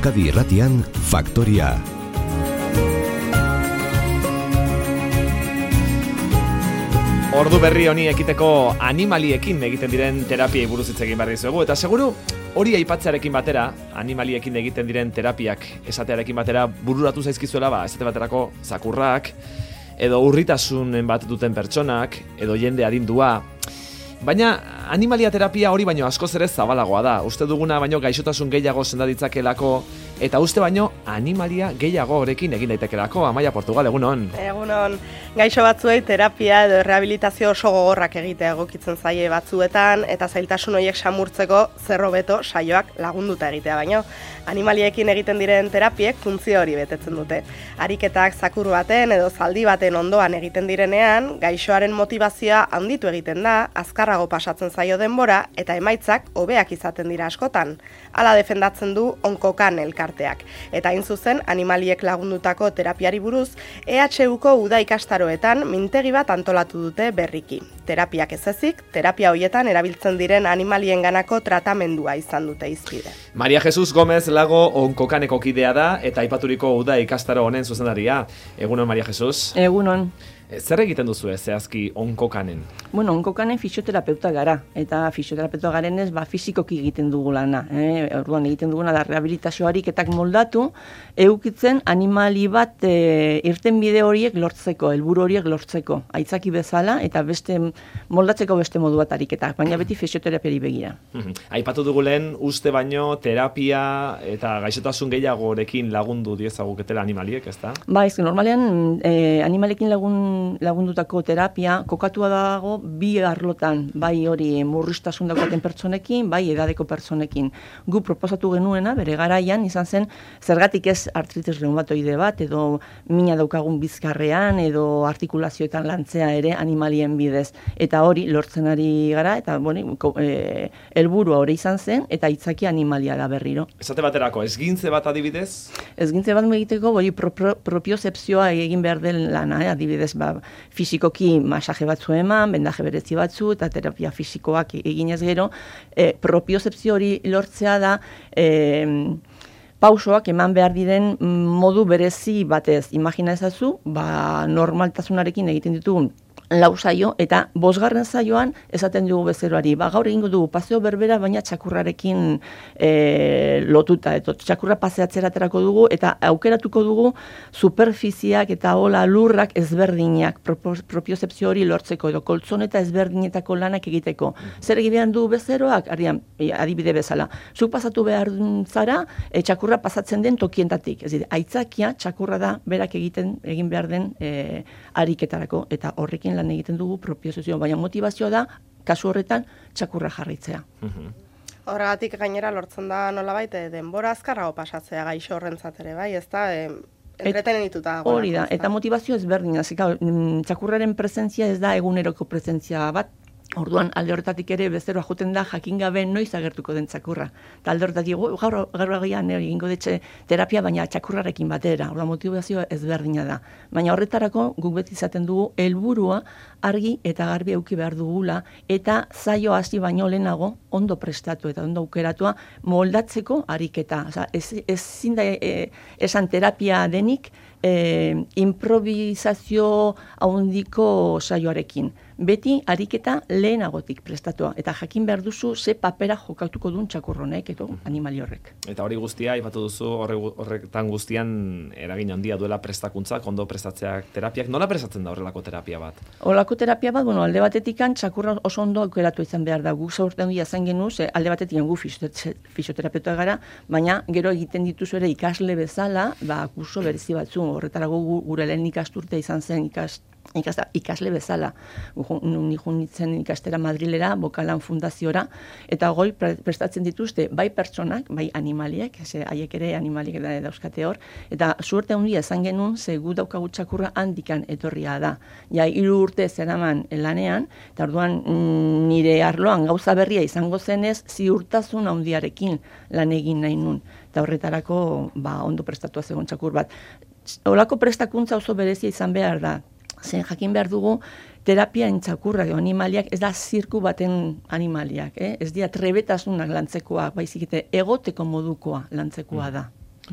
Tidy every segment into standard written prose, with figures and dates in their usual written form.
Euskadi Irratian Faktoria. Ordu berri honi ekiteko animaliekin egiten diren terapiei buruz hitz egin behar dizuegu, eta seguru hori aipatzearekin batera, animaliekin egiten diren terapiak esatearekin batera bururatu zaizkizuela, esate baterako zakurrak, edo urritasunen bat duten pertsonak, edo jende adindua. Baina animalia terapia hori baino askoz ere zabalagoa da. Uste duguna baino gaixotasun gehiago senda ditzakelako, eta uste baino animalia gehiago horekin egin daitekelako. Amaia Portugal, egunon. Egunon, gaixo batzuei terapia edo rehabilitazio oso gogorrak egitea egokitzen zaie batzuetan, eta zailtasun horiek samurtzeko zer hobeto saioak lagunduta egitea baino. Animaliekin egiten diren terapiek funtzio hori betetzen dute. Ariketak zakur baten edo zaldi baten ondoan egiten direnean, gaixoaren motivazioa handitu egiten da, azkarrago pasatzen zaio denbora eta emaitzak hobeak izaten dira askotan. Hala defendatzen du Onkokan elkarteak. Eta hain zuzen, animaliek lagundutako terapiari buruz, EHUko uda ikastaroetan mintegi bat antolatu dute berriki. Terapiak ez ezik, terapia hoietan erabiltzen diren animalienganako tratamendua izan dute hizpide. Maria Jesus Gomez Lago Onkokaneko kidea da eta aipaturiko uda ikastaro honen zuzendaria. Egunon, Maria Jesus. Egunon. Zer egiten duzu zehazki Onkokanen? Bueno, Onkokanen fisioterapeuta gara, eta fisioterapeuta garenez fisikoki egiten dugu lana. Orduan egiten duguna da rehabilitazio ariketak moldatu, eukitzen animali bat irten bide horiek lortzeko, helburu horiek lortzeko, aitzaki bezala, eta moldatzeko beste modu bat ariketak, baina beti fisioterapiari begira. Aipatu dugu lehen, uste baino terapia eta gaixotasun gehiagorekin lagundu diezaguketela animaliek, ezta? Ba, normalean animalekin lagundutako terapia kokatua dago bi arlotan, bai hori murriztasun daukaten pertsonekin, bai edadeko pertsonekin. Gu proposatu genuena, bere garaian, izan zen, zergatik ez artritis reumatoide bat, edo mina daukagun bizkarrean, edo artikulazioetan lantzea ere animalien bidez. Eta hori lortzen ari gara, eta helburua hori izan zen, eta aitzaki animalia da berriro. Esate baterako, ezgintze bat adibidez? Ezgintze bat egiteko, propiozepzioa egin behar den lana, adibidez, fisikoki masaje batzu eman, bendaje berezi batzu, eta terapia fisikoak eginez gero, propiozepzio hori lortzea da, pausoak eman behar diren modu berezi batez. Imagina ezazu, normaltasunarekin egiten ditugun lau saio, eta 5. saioan esaten dugu bezeroari. Gaur egingo dugu paseo berbera, baina txakurrarekin lotuta. Txakurra paseatzera aterako dugu, eta aukeratuko dugu superfiziak eta hola lurrak ezberdinak, propiozepzio hori lortzeko, edo koltzoneta ezberdinetako lanak egiteko. Zer egin du bezeroak? Adibide bezala. Zuk pasatu behar zara, txakurra pasatzen den tokientatik. Ez dira, aitzakia txakurra da berak egin behar den ariketarako, eta horrekin lan egiten dugu propiozepzio, baina motivazioa da, kasu horretan, txakurra jarritzea. Horregatik gainera lortzen da nolabait denbora azkarrago pasatzea gaixo horrentzat ere, bai, ez da, entretenituta. Hori da, eta motivazio ezberdina, txakurraren presentzia ez da eguneroko presentzia bat, orduan alde horretatik ere bezeroa joten da jakin gabe noiz agertuko den txakurra. Eta alde horretatik gaur agian egingo detxe terapia, baina txakurrarekin batera. Orduan motivazioa ezberdina da. Baina horretarako guk beti izaten dugu helburua argi eta garbi eduki behar dugula, eta zaio hasi baino lehenago ondo prestatu eta ondo aukeratua moldatzeko ariketa. Ezin da esan terapia denik improvisazio handiko saioarekin. Beti ariketa lehenagotik prestatua, eta jakin behar duzu ze papera jokatuko duen txakurronek edo animali horrek. Eta hori guztia, aipatu duzu horretan guztian eragin handia duela prestakuntzak, ondo prestatzeak terapiak. Nola prestatzen da horrelako terapia bat? Horrelako terapia bat, alde batetik txakurra oso ondo aukeratu izan behar da. Guk zaurten dira zen genuz, alde batetik gu fisioterapeuta gara, baina gero egiten dituzu ere ikasle bezala, kurso berezi batzu, horretarago gure lehen ikasturtea izan zen ikasle bezala. Nijun nintzen ikastera Madrilera, Bokalan fundaziora, eta goi prestatzen dituzte bai pertsonak, bai animaliek, haiek ere animaliek dauzkate hor, eta suerte handia esan genuen, ze gu daukagu txakurra handikan etorria da. 3 urte zeraman lanean, eta orduan nire arloan gauza berria izango zenez, ziurtasun handiarekin lan egin nahi nun. Eta horretarako ondo prestatua zegoen txakur bat. Holako prestakuntza oso berezia izan behar da. Zen jakin behar dugu, terapia txakurrak edo animaliak ez da zirku baten animaliak, ez dira trebetasunak lantzekoak, baizik eta egoteko modukoa lantzekoa da.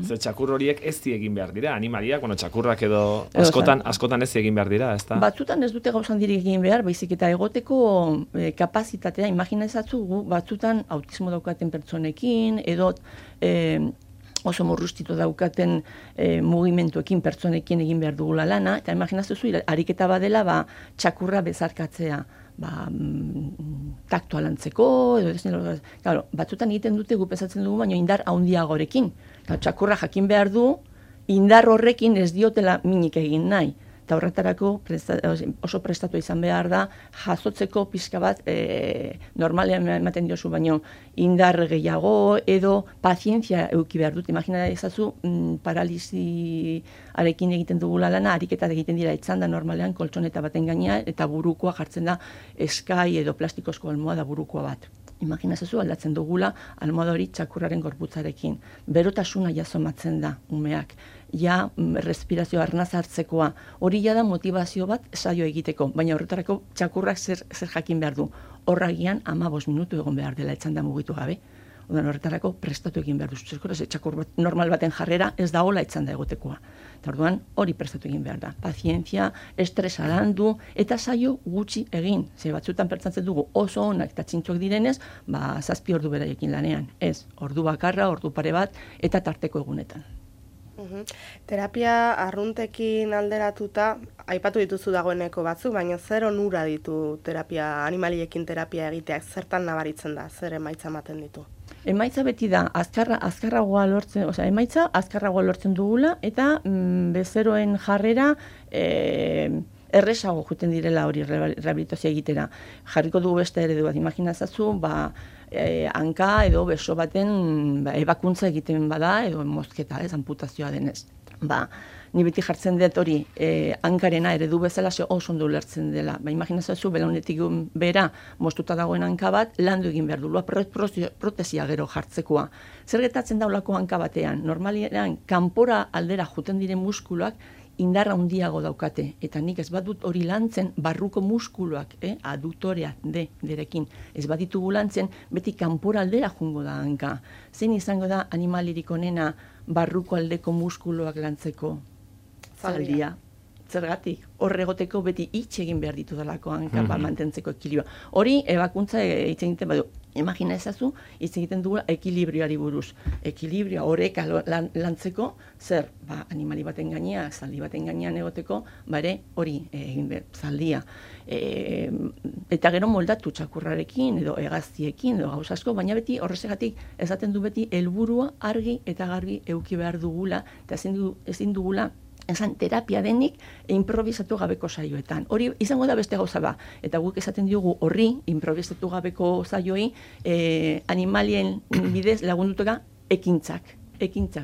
Ze txakur horiek ez egin behar dira, animaliak, txakurrak edo askotan ez egin behar dira, ez da? Batzutan ez dute gauzan dirik egin behar, baizik eta egoteko kapazitatea, imaginezatzu, batzutan autismo daukaten pertsonekin, edo oso morrustitu daukaten mugimenduekin pertsonekin egin behar dugula lana, eta imaginazuzu, ariketa badela, txakurra bezarkatzea, taktoa lantzeko, edo claro, batzutan egiten dute gupezatzen dugu, baina indar handiagorekin. Txakurra jakin behar du, indar horrekin ez diotela minik egin nahi. Eta horretarako oso prestatu izan behar da, jasotzeko pixka bat, normalean ematen diozu, baino indar gehiago edo pazientzia eduki behar dut. Imagina ezazu, paralisiarekin egiten dugula lana, ariketak egiten dira etzanda normalean koltsoneta baten gaina, eta burukoa jartzen da eskai edo plastikozko almohada burukoa bat. Imagina ezazu aldatzen dugula almohada hori txakurraren gorputzarekin. Berotasuna jasomatzen da umeak. Ja, respirazio arnaz hartzekoa, hori ja da motivazio bat saio egiteko, baina horretarako txakurrak zer jakin behar du. Horragian 15 minutu egon behar dela etzanda mugitu gabe. Horretarako prestatu egin behar du. Txakur normal baten jarrera ez da hola etzanda egotekoa. Eta orduan hori prestatu egin behar da. Pazientzia, estresa landu eta saio gutxi egin. Ze batzutan pertsatzen dugu oso onak eta txintxoak direnez, 7 ordu beraiekin lanean. Ez, ordu bakarra, ordu pare bat eta tarteko egunetan. Terapia arruntekin alderatuta, aipatu dituzu dagoeneko batzu, baina zer onura ditu animaliekin terapia egiteak, zertan nabaritzen da, zer emaitza ematen ditu? Emaitza beti da, azkarragoa lortzen dugula, eta bezeroen jarrera erresago juten direla hori rehabilitazioa egitera. Jarriko dugu beste eredu bat, imaginazazu, hanka edo beso baten ebakuntza egiten bada, edo mozketa, amputazioa denez. Ni beti jartzen dut hori hankarena eredu bezala oso ondo ulertzen dela. Imaginazazu, belaunetik bera moztuta dagoen hanka bat, landu egin behar dula, protesia gero jartzekoa. Zer gertatzen daulako hanka batean? Normalean, kanpora aldera juten diren muskuluak, indarra handiago daukate, eta nik ez badut hori lantzen, barruko muskuluak, aduktorea derekin, ez baditugu lantzen, beti kanpora aldera jungo da hanka. Zein izango da animalirik onena barruko aldeko muskuluak lantzeko? Zaldia. Zergatik, horregoteko beti hitz egin behar ditu dalako hanka, mantentzeko ekilibrio. Hori, ebakuntza hitz egiten badu. Imagina ezazu, hitz egiten dugu ekilibrioari buruz. Ekilibrioa horreka lantzeko, zer, animali baten gainean, zaldi baten gainean egoteko, ere hori egin behar, zaldia. Eta gero moldatu txakurrarekin, edo hegaztiekin, edo gauz asko, baina beti horrezegatik esaten du beti helburua argi eta garbi eduki behar dugula, eta ezin dugula esan terapia denik improvisatu gabeko saioetan. Hori izango da beste gauza ba. Eta guk esaten diogu horri improvisatu gabeko saioi animalien bidez lagundutuga ekintzak,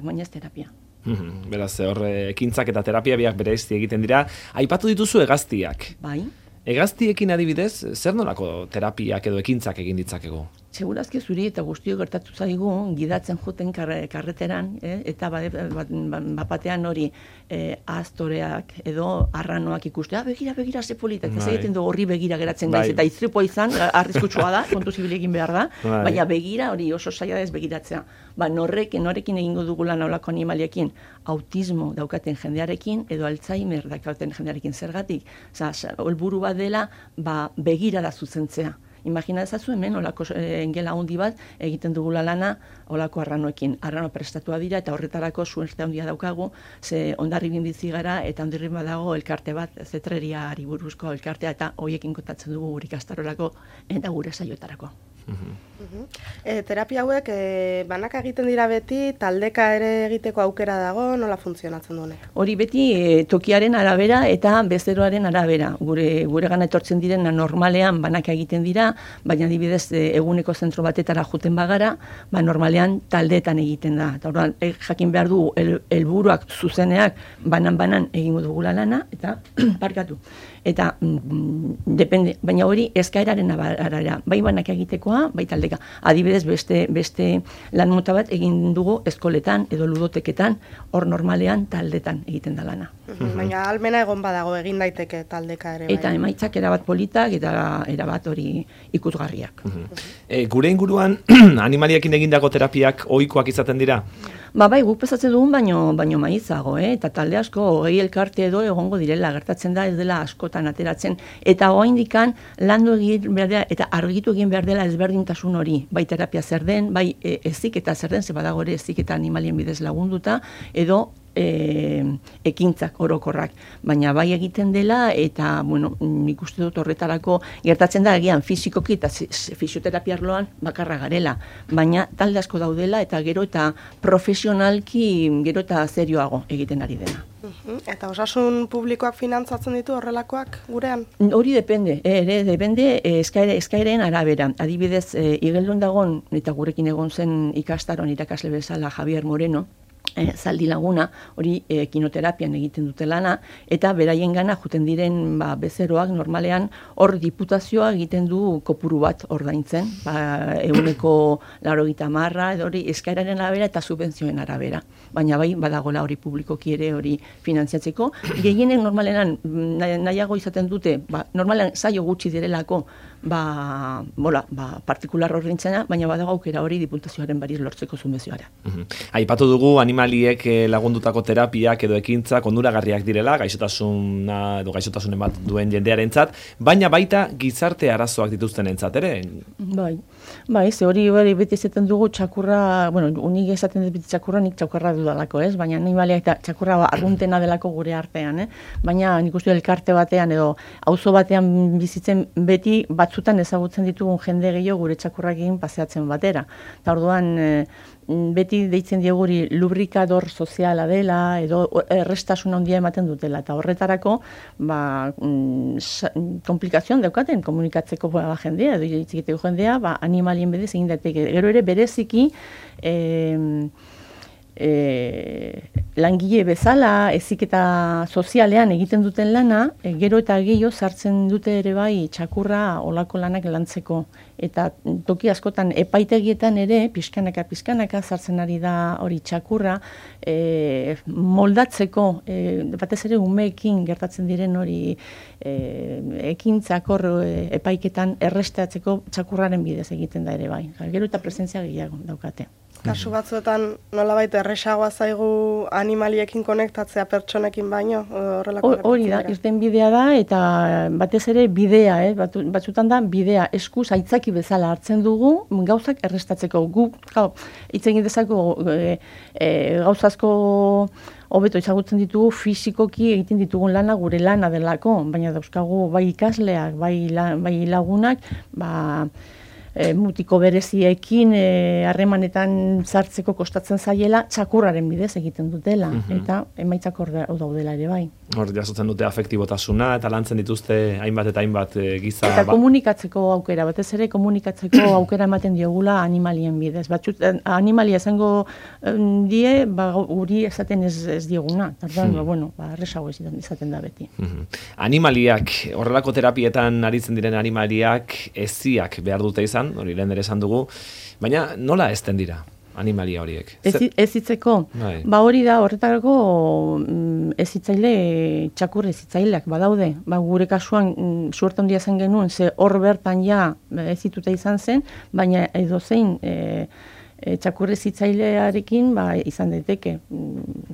baina ez terapia. Beraz, ekintzak eta terapia biak bereizti egiten dira. Aipatu dituzu hegaztiak. Bai. Hegaztiekin adibidez, zer nolako terapiak edo ekintzak egin ditzakegu? Segurazki zuri eta guztio gertatu zaigu gidatzen joten karreteran, eta bapatean hori astoreak edo arranoak ikustea, begira ze polita, eta egiten du horri begira geratzen gaiz, eta istripoa izan, arriskutsua da, kontu zibilekin behar da, baina begira hori oso zaila ez begiratzea. Norekin egingo dugula nolako animaliekin, autismo daukaten jendearekin, edo Alzheimer daukaten jendearekin zergatik, helburu bat dela begira da zuzentzea. Imagina ezazu hemen, olako engela handi bat, egiten dugula lana, olako arranoekin. Arrano prestatua dira, eta horretarako suerte handia daukagu, ze ondarribin bizi gara, eta ondarribin badago elkarte bat, zetreriari buruzko elkartea, eta hoiekin kontatzen dugu gure ikastarorako, eta gure saioetarako. Terapia hauek banaka egiten dira beti, taldeka ere egiteko aukera dago, nola funtzionatzen duenek? Hori beti tokiaren arabera eta bezeroaren arabera. Gure gana etortzen diren normalean banaka egiten dira, baina adibidez eguneko zentro batetara joten bagara, normalean taldeetan egiten da. Eta orduan jakin behar du helburuak zuzeneak banan egingo dugula lana, eta parkatu. Eta depende, baina hori eskaeraren arabera, bai banaka egitekoa, bai taldeka. Adibidez, beste lan mota bat egin dugu eskoletan edo ludoteketan, hor normalean taldetan egiten da lana. Baina almena egon badago egin daiteke taldeka ere. Eta emaitzak erabat politak eta erabat hori ikusgarriak. Gure inguruan animaliekin egindako terapiak ohikoak izaten dira? Bai, guk pesatzen dugun baino maizago, eta talde asko 20 elkarte edo egongo direla, gertatzen da ez dela askotan ateratzen, eta oraindikan landu egin behar dela, eta argitu egin behar dela ezberdintasun hori, bai terapia zer den, bai heziketa zer den, ze badago ere heziketa animalien bidez lagunduta, edo ekintzak orokorrak, baina bai egiten dela, eta, nik uste dut horretarako gertatzen da, agian fisikoki eta fisioterapia arloan bakarra garela, baina talde asko daudela, eta gero eta profesionalki gero eta serioago egiten ari dena. Eta osasun publikoak finantzatzen ditu horrelakoak gurean? Hori depende, eskaireen arabera. Adibidez, Igeldun dagon, eta gurekin egon zen ikastaron irakasle bezala Javier Moreno, zaldi laguna, hori kinoterapian egiten dute lana, eta beraien gana juten diren bezeroak normalean hor diputazioa egiten du kopuru bat ordaintzen, 180, edo hori eskaeraren arabera eta subentzioen arabera. Baina bai, badagola hori publikoki ere hori finantziatzeko. Gehienek normalean nahiago izaten dute, normalean zaio gutxi direlako, partikular ordaintzena, baina badago aukera hori diputazioaren bariz lortzeko subentzioara. Aipatu dugu animaliek lagundutako terapiak edo ekintzak onuragarriak direla, gaixotasuna edo gaixotasunen bat duen jendearentzat, baina baita gizarte arazoak dituztenentzat ere? Bai, ze hori beti esaten dugu txakurra, unik esaten dut beti txakurra, nik txakurra dudalako, baina animaliak eta txakurra arruntena delako gure artean, baina nik uste elkarte batean edo auzo batean bizitzen beti batzutan ezagutzen ditugun jende gehiago gure txakurrakin paseatzen batera. Eta orduan beti deitzen dieguri lubrikador soziala dela edo errestasun handia ematen dutela, eta horretarako komplikazioan daukaten komunikatzeko jendea, edo itzikiteko jendea, animalien bedez egin daiteke. Gero ere bereziki langile bezala, heziketa sozialean egiten duten lana, gero eta gehiago sartzen dute ere bai txakurra olako lanak lantzeko. Eta toki askotan epaitegietan ere, pixkanaka sartzen ari da hori txakurra, moldatzeko, batez ere umeekin gertatzen diren hori ekintzak hor epaiketan errestatzeko txakurraren bidez egiten da ere bai. Gero eta presentzia gehiago daukate. Kasu batzuetan nolabait erresagoa zaigu animaliekin konektatzea pertsonekin baino? Hori da, irten bidea da, eta batez ere bidea, batzutan da bidea, eskuz aitzaki bezala hartzen dugu, gauzak errestatzeko. Guk, hitz egin dezako gauzazko hobeto ezagutzen ditugu, fisikoki egiten ditugun lana gure lana delako, baina dauzkagu bai ikasleak, bai lagunak, mutiko bereziekin harremanetan sartzeko kostatzen zaiela txakurraren bidez egiten dutela, eta emaitzak hor daudela ere bai. Hor jasotzen dute afektibotasuna eta lantzen dituzte hainbat eta hainbat giza. Eta komunikatzeko aukera, batez ere komunikatzeko aukera ematen diogula animalien bidez. Animalia esango die, guri esaten ez dioguna. Tardan, erresago izaten da beti. Animaliak, horrelako terapietan aritzen diren animaliak eziak behar dute izan, hori lehen ere esan dugu, baina nola ezten dira animalia horiek? Ezitzeko? Hori da, horretarako ezitzaile, txakur ezitzaileak badaude. Gure kasuan suerte handia zen genuen, ze hor bertan ja ezituta izan zen, baina edozein txakur ezitzailearekin izan daiteke.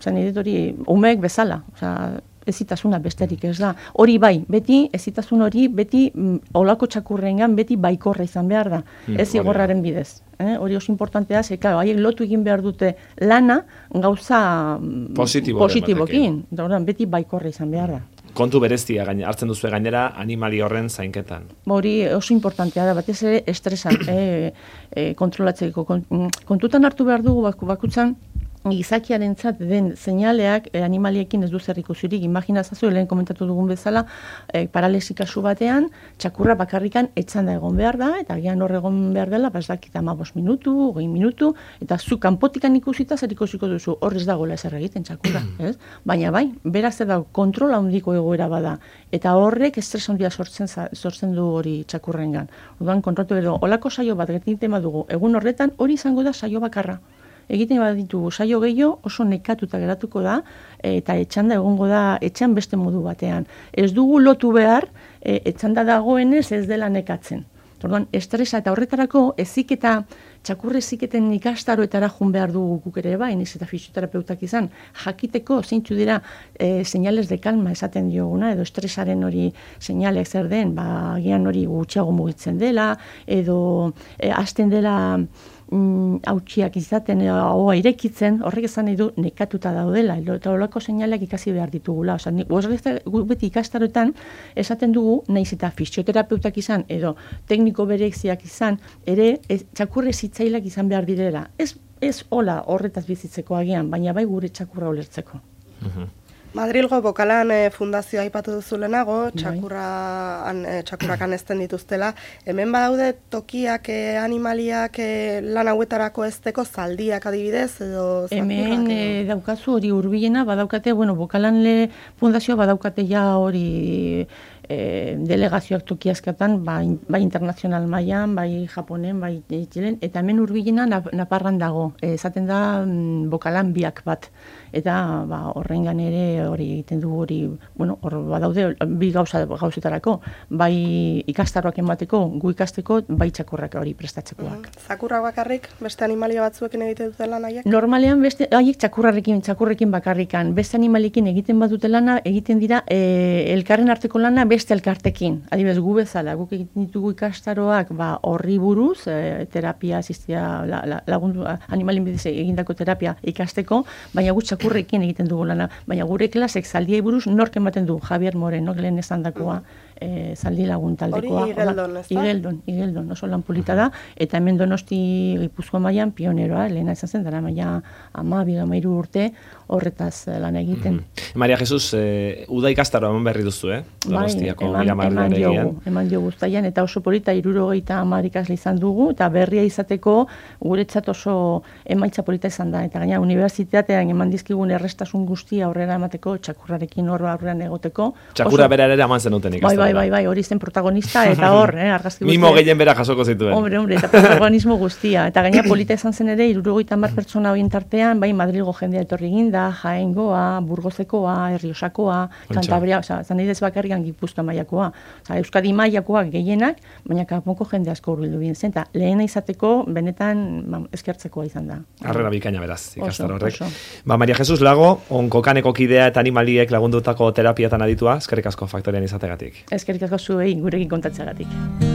Zan edit hori, umeek bezala, ezitasuna besterik ez da. Hori bai, beti, ezitasun hori, beti, olako txakurrengan, beti baikorra izan behar da. Ez zigorraren bidez. Hori oso importantea, haiek lotu egin behar dute lana, gauza positibokin. Beti baikorra izan behar da. Kontu berezia hartzen duzu gainera animali horren zainketan. Hori oso importantea da, batez ere estresan kontrolatzeko. Kontutan hartu behar dugu bakutzan, gizakiarentzat den seinaleak animaliekin ez du zer ikusirik. Imaginazazu, lehen komentatu dugun bezala, paralesi kasu batean, txakurra bakarrikan etzanda egon behar da, eta agian hor egon behar dela, dakit 15 minutu, 20 minutu, eta zu kanpotikan ikusita zer ikusiko duzu, hor ez dagoela ezer egiten txakurra, ez? Baina bai, beraz da kontrola handiko egoera bada, eta horrek estres handia sortzen du hori txakurrengan. Orduan kontrolatu edo, olako saio bat egiten badugu, egun horretan hori izango da saio bakarra. Egiten baditugu saio gehiago oso nekatuta geratuko da, eta etxanda egongo da etxan beste modu batean. Ez dugu lotu behar, etxanda dagoenez ez dela nekatzen. Orduan, estresa eta horretarako heziketa, txakur heziketen ikastaroetara joan behar dugu guk ere bai, niz eta fisioterapeutak izan, jakiteko zeintzu dira señales de calma esaten dioguna, edo estresaren hori señalek zer den, agian hori gutxiago mugitzen dela, edo hasten dela hautsiak izaten, ahoa irekitzen, horrek esan nahi du nekatuta daudela, eta horreko seinaleak ikasi behar ditugula. Guk beti ikastaroetan esaten dugu, naiz eta fisioterapeutak izan, edo tekniko bereziak izan, ere txakurre zitzailak izan behar direla. Ez hola horretaz bizitzeko agian, baina bai gure txakurra ulertzeko. Madrilgo Bokalan fundazioa aipatu duzu lehenago, txakurrak anezten dituztela. Hemen badaude tokiak, animaliak lan hauetarako ezteko zaldiak adibidez, edo hemen daukazu hori hurbilena, badaukate, Bokalan fundazioa badaukate ja hori delegazioak tokiazkatan, bai internazional mailan, bai Japonen, bai Txilen, eta hemen hurbilena Naparran dago, esaten da Bokalan biak bat. Eta horrengan ere hori egiten du hori, hor badaude bi gauzetarako, bai ikastaroak emateko, gu ikasteko, bai txakurrak hori prestatzekoak. Zakurrak bakarrik, beste animalia batzuekin egiten dute lan haiek? Normalean beste haiek txakurrekin bakarrikan, beste animaliekin egiten badute lana, egiten dira elkarren arteko lana beste elkartekin. Adibidez, gu bezala, guk egiten ditugu ikastaroak horri buruz, terapia asistia lagundu, animalien bidez egindako terapia ikasteko, baina gutxak txakurrekin egiten dugu lana, baina gure klasek zaldiei buruz nork ematen du, Javier Moreno, lehen esan dakoa, zaldi lagun taldekoa. Hori Igeldon, ez da? Igeldon, oso lan polita da, eta hemen Donosti Gipuzkoa mailan pioneroa, lehena izan zen, dara maila 12-13 urte horretaz lan egiten. Maria Jesus, uda ikastaroa eman berri duzu, Donostiako Miramarrean. Eman diogu guztaian, eta oso polita 70 ikasle izan dugu, eta berria izateko guretzat oso emaitza polita izan da, eta gaina unibertsitatean eman dizkigun errestasun guztia aurrera emateko, txakurrarekin aurrean egoteko. Txakurra bera ere eman zenuten ikastaroa. Bai, hori zen protagonista, eta hor, argazki guztia. Mimo gehien bera jasoko zituen. Hombre, eta protagonismo guztia. Eta gaina polita izan zen ere, 70 pertsona horien tartean, bai Madrilgo jendea etorri ginda, Jaengoa, Burgosekoa, Erriosakoa, Kantabria, zan nahi bakarrikan Gipuzkoa mailakoa. Euskadi mailakoa gehienak, baina kanpoko jende asko hurbildu bien zen. Eta lehena izateko, benetan eskertzekoa izan da. Harrera bikaina beraz, ikastaro horrek. Maria Jesus Lago, onkokaneko kidea eta animaliek lagundutako terapiatan aditua, eskerrik asko Faktorian izategatik. Eskerrik asko zuei gurekin kontatzeagatik.